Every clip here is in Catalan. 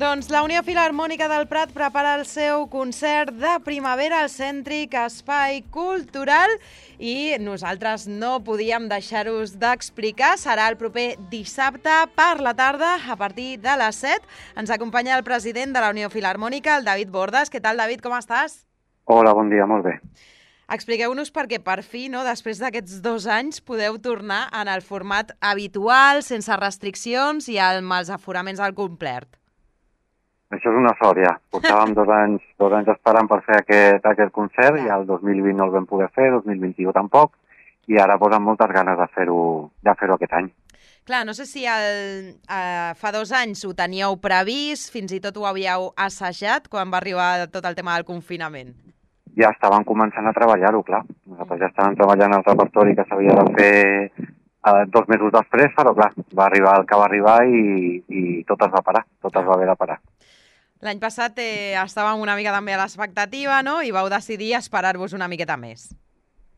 Doncs la Unió Filharmònica del Prat prepara el seu concert de primavera al Cèntric Espai Cultural i nosaltres no podíem deixar-vos d'explicar. Serà el proper dissabte per la tarda a partir de les 7. Ens acompanya el president de la Unió Filharmònica, el David Bordes. Què tal, David? Com estàs? Hola, bon dia, molt bé. Expliqueu-nos perquè per fi, no, després d'aquests 2 anys, podeu tornar en el format habitual, sense restriccions i amb els aforaments al complet. Això és una sort, ja. Portàvem 2 anys esperant per fer aquest concert i el 2020 no el vam poder fer, 2021 tampoc, i ara posen moltes ganes de fer-ho aquest any. Clar, no sé si fa 2 anys ho teníeu previst, fins i tot ho havíeu assajat quan va arribar tot el tema del confinament. Ja estàvem començant a treballar-ho, clar. Nosaltres ja estàvem treballant el repertori que s'havia de fer 2 mesos després, però clar, va arribar el que va arribar i tot es va parar, tot es va haver de parar. L'any passat estàvem una mica també a l'expectativa, no? I vau decidir esperar-vos una miqueta més.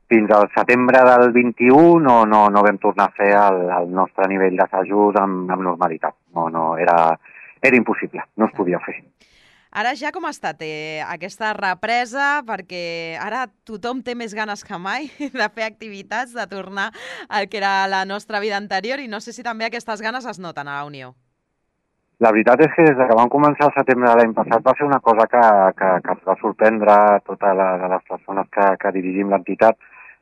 Fins al setembre del 21 no vam tornar a fer el nostre nivell d'assajos amb normalitat. No, era impossible, no es podia fer. Ara ja com ha estat aquesta represa? Perquè ara tothom té més ganes que mai de fer activitats, de tornar al que era la nostra vida anterior, i no sé si també aquestes ganes es noten a la Unió. La veritat és que des que vam començar el setembre de l'any passat va ser una cosa que ens va sorprendre a totes les persones que dirigim l'entitat,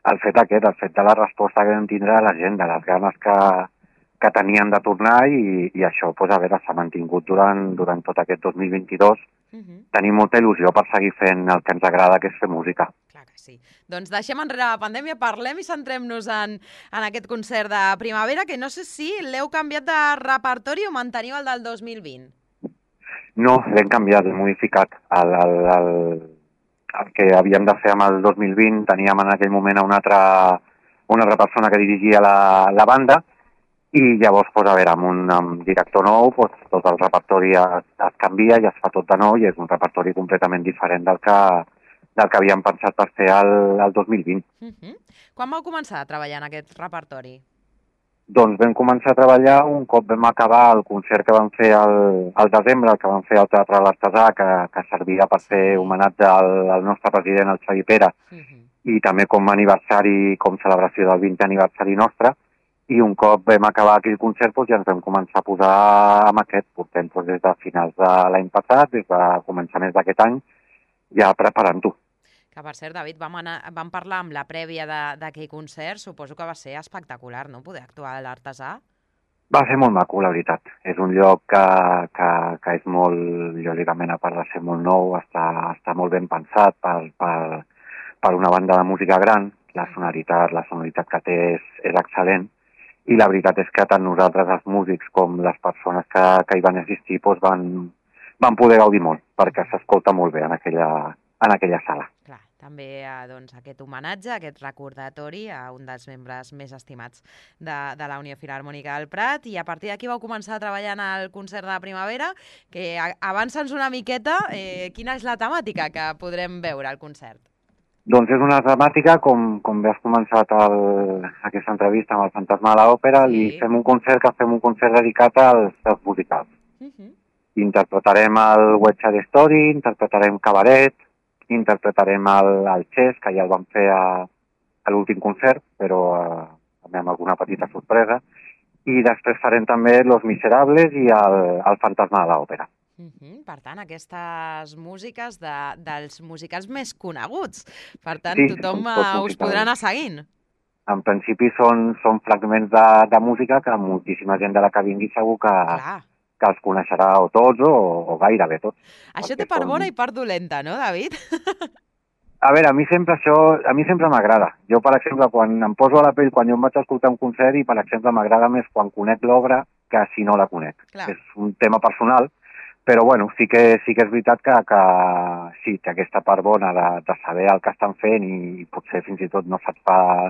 el fet de la resposta que vam tindre a la gent, de les ganes que tenien de tornar i això, a veure, s'ha mantingut durant tot aquest 2022. Tenim molta il·lusió per seguir fent el que ens agrada, que és fer música. Clar que sí. Doncs deixem enrere la pandèmia, parlem i centrem-nos en aquest concert de primavera, que no sé si l'heu canviat de repertori o manteniu el del 2020. No, l'hem canviat, l'hem modificat. El que havíem de fer amb el 2020 teníem en aquell moment una altra persona que dirigia la banda, i llavors, a veure, amb un director nou, tot el repertori es canvia i es fa tot de nou i és un repertori completament diferent del que havíem pensat per fer el 2020. Quan vau començar a treballar en aquest repertori? Doncs vam començar a treballar un cop vam acabar el concert que vam fer al desembre, el que vam fer al Teatre de l'Artesà, que servia per fer homenatge al nostre president, el Xavi Pera, i també com a aniversari, com celebració del 20è aniversari nostre. I un cop vam acabar aquell concert ja ens vam començar a posar amb aquest. Portem des de finals de l'any passat, des de començaments d'aquest any, ja preparant-ho. Que per cert, David, vam parlar amb la prèvia d'aquell concert, suposo que va ser espectacular, no?, poder actuar a l'Artesà. Va ser molt maco, la veritat. És un lloc que és molt, lògicament, a part de ser molt nou, està molt ben pensat per una banda de música gran. La sonoritat que té és excel·lent. I la veritat és que tant nosaltres, els músics, com les persones que hi van assistir, van poder gaudir molt, perquè s'escolta molt bé en aquella sala. Clar, també aquest homenatge, aquest recordatori a un dels membres més estimats de la Unió Filharmònica del Prat, i a partir d'aquí vau començar a treballar en el concert de primavera, que avança'ns una miqueta, quina és la temàtica que podrem veure al concert? Doncs és una temàtica, com bé has començat aquesta entrevista amb el Fantasma de l'Òpera, i fem un concert dedicat als musicals. Interpretarem el West Side Story, interpretarem Cabaret, interpretarem el Chess, que ja el vam fer a l'últim concert, però també amb alguna petita sorpresa, i després farem també Los Miserables i el Fantasma de l'Òpera. Per tant, aquestes músiques dels musicals més coneguts. Per tant, tothom us podrà anar seguint. En principi són fragments de música que moltíssima gent de la que vingui segur que els coneixerà o tots o gairebé tots. Això té part bona i part dolenta, no, David? A veure, a mi sempre m'agrada. Jo, per exemple, quan em poso a la pell, quan jo em vaig escoltar un concert, i per exemple m'agrada més quan conec l'obra que si no la conec. És un tema personal. Però, bueno, sí que és veritat que sí, té aquesta part bona de saber el que estan fent i potser fins i tot no se't fa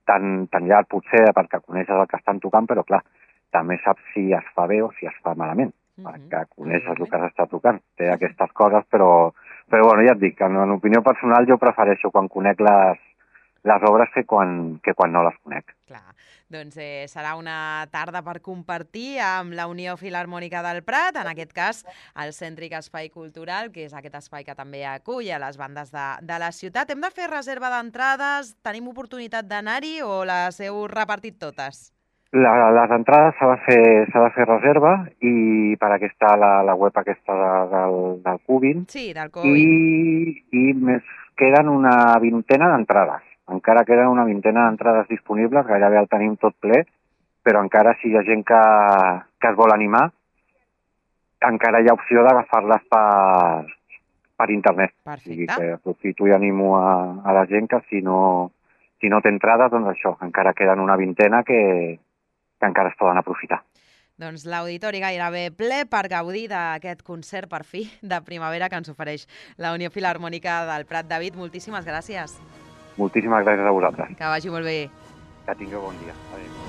tan llarg, potser, perquè coneixes el que estan tocant, però, clar, també saps si es fa bé o si es fa malament, perquè coneixes el que s'està tocant. Té aquestes coses, però bueno, ja et dic, en opinió personal jo prefereixo quan conec les obres que quan no les conec. Clar. Doncs serà una tarda per compartir amb la Unió Filharmònica del Prat, en aquest cas el Cèntric Espai Cultural, que és aquest espai que també acull a les bandes de la ciutat. Hem de fer reserva d'entrades? Tenim oportunitat d'anar-hi o les heu repartit totes? Les entrades s'ha de fer reserva i per aquesta la web aquesta del Cubin. Sí, del Cubin. I més queden una vintena d'entrades. Encara queden una vintena d'entrades disponibles, gairebé el tenim tot ple, però encara si hi ha gent que es vol animar, encara hi ha opció d'agafar-les per internet. Perfecte. O sigui que aprofito i animo a la gent que si no té entrades, doncs això, encara queden una vintena que encara es poden aprofitar. Doncs l'auditori gairebé ple per gaudir d'aquest concert, per fi, de primavera que ens ofereix la Unió Filharmònica del Prat. David, moltíssimes gràcies. Moltíssimes gràcies a vosaltres. Que vagi molt bé. Que tingueu bon dia. Adéu.